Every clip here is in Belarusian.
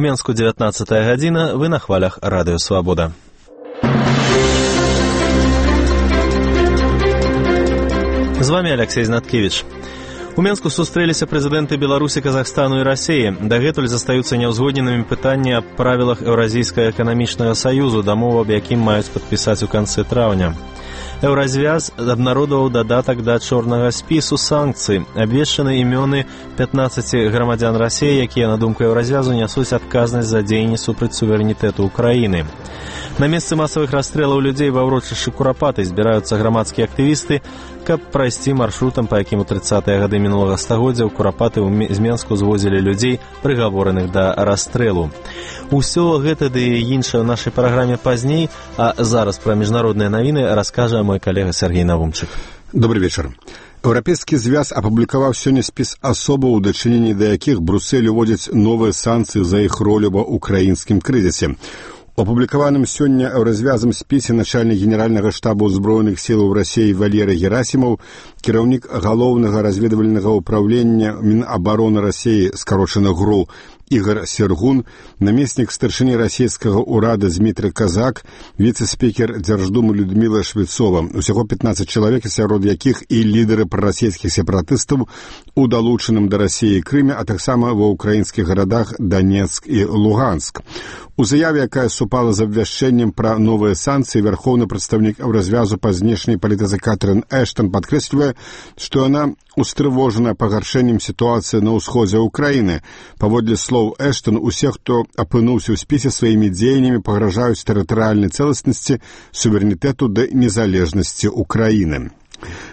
У Менску 19 гадзіна, вы на хвалях Радыё Свабода. З вами Алексей Знаткевич. У Менску сустрэліся прэзідэнты Беларусі, Казахстану і Расіі. Дагэтуль застаюцца няўзгодненымі пытанні аб правілах Еўразійскага эканамічнага саюзу, дамову аб якім маюць падпісаць у канцы траўня. Еўразвяз абнародаваў дадатак да чорнага спісу санкцый. Абвешчаны імёны 15 грамадзян Расіі, якія, на думку Еўразвязу, нясуць адказнасць за дзеянні супраць суверэнітэту Украіны. На месцы масавых расстрэлаў людзей ва ўрочышчы Курапаты збіраюцца грамадскія актывісты, каб прайсці маршрутам, па якім у 30-е гады мінулага стагоддзя ў Курапаты з Менску звозілі людзей, прыгавораных да расстрэлу. Усё гэта ды іншае ў нашай праграме пазней, а зараз пра міжнародныя навіны раскажа мой калега Сергей Навумчык. Добрый вечар. Еўрапейскі звяз апублікаваў сёння спіс асобаў, у дачыненні да якіх Брюссель уводзіць новыя санкцыі за іх ролю ва ўкраінскім крызісе. У апублікаваным сёння еўразвязам спісе начальнік генеральнага штабу ўзброеных сілаў Расіі Валерый Герасімаў, кіраўнік галоўнага разведвальнага ўправлення Мінабароны Расіі, скарочана ГРУ, Ігор Сергун, намеснік старшыні расійскага ўрада Дмітрый Казак, віцэ-спікер Дзярждумы Людміла Швецова. Усяго 15 чалавек, сярод якіх і лідары прарасійскіх сепаратыстаў у далучаным да Расіі Крыме, а таксама ва ўкраінскіх гарадах Донецк і Луганск. У заяве, якая супала з абвяшчэннем пра новыя санкцыі, вярхоўны прадстаўнік Еўразвязу па знешняй палітыцы Катрын Эштон падкрэслівае, што яна устрывожана пагаршэннем сітуацыі на ўсходзе Украіны. Паводле слоў Эштон, усе, хто апынуўся ў спісе, сваімі дзеяннямі пагражаюць тэрытарыяльнай цэласнасці, суверэнітэту ды незалежнасці Украіны.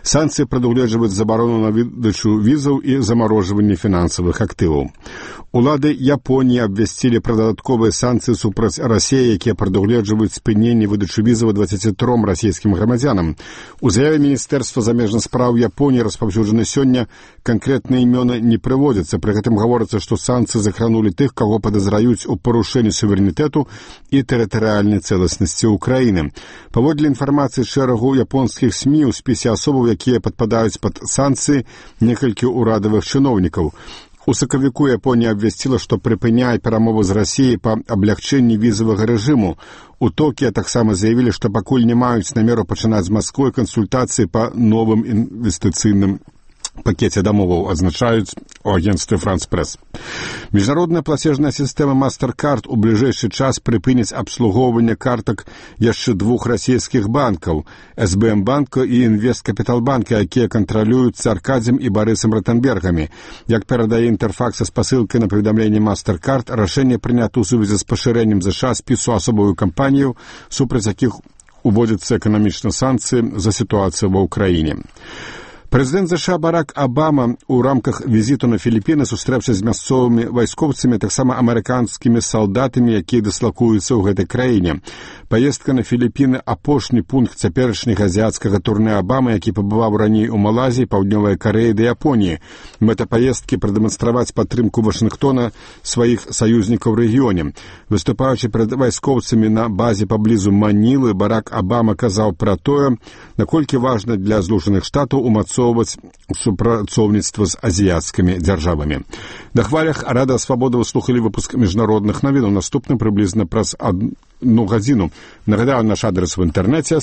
Санкцыі прадугледжваюць забарону на выдачу візаў і замарожванне фінансавых актываў. Улады Японіі абвясцілі пра дадатковыя санкцыі супраць Расіі, якія прадугледжваюць спыненне выдачы візаў 23 расійскім грамадзянам. У заяве Міністэрства замежных спраў Японіі, распаўсюджаны сёння, канкрэтныя імёны не прыводзяцца. Пры гэтым гаворыцца, што санкцыі закранулі тых, каго падазраюць у парушэнні суверэнітэту і тэрытарыяльнай цэласнасці Украіны. Паводле інфармацыі шэрагу японскіх СМІ, у спісе асобаў, якія падпадаюць пад санкцыі, некалькі ўрадавых чыноўнікаў. У сакавіку Японія абвясціла, што прыпыняе перамовы з Расіяй па аблягчэнні візавага рэжыму. У Токіа таксама заявілі, што пакуль не маюць намеру пачынаць з Масквой кансультацыі па новым інвестыцыйным пакеце дамоваў, адзначаюць у агенцтве «Франс Прэс». Міжнародная плацежная сістэма MasterCard у бліжэйшы час прыпыніць абслугоўванне картак яшчэ двух расійскіх банкаў – СБМ банка і Інвесткапітал банка, якія кантралююцца Аркадзем і Барысам Ротенбергамі. Як перадае Інтэрфакс з пасылкай на паведамленне MasterCard, рашэнне прынята ў сувязі з пашырэннем США спісу асобавых кампаніяў, супраць якіх уводзяцца эканамічныя санкцыі за сітуацыю ва ўкраіне. Прэзідэнт США Барак Абама ў рамках візіту на Філіпіны сустрэўся з мясцовымі вайскоўцамі, таксама амерыканскімі салдатамі, якія дыслакуюцца ў гэтай краіне. Паездка на Філіпіны – апошні пункт цяперашняга азіяцкага турне Абамы, які пабываў раней у Малайзіі, Паўднёвай Карэі ды Японіі. Мэта паездкі – прадэманстраваць падтрымку Вашынгтона сваіх саюзнікаў у рэгіёне. Выступаючы перад вайскоўцамі на базе паблізу Манілы, Барак Абама казаў пра тое, наколькі важна для Злучаных Штатаў умацоўваць супрацоўніцтва з азіяцкімі дзяржавамі. На хвалях Радыё Свабода вы слухалі выпуск міжнародных навінаў. Наступны прыблізна праз 1 гадзіну. Нагадаю, наш адрес в інтэрнэце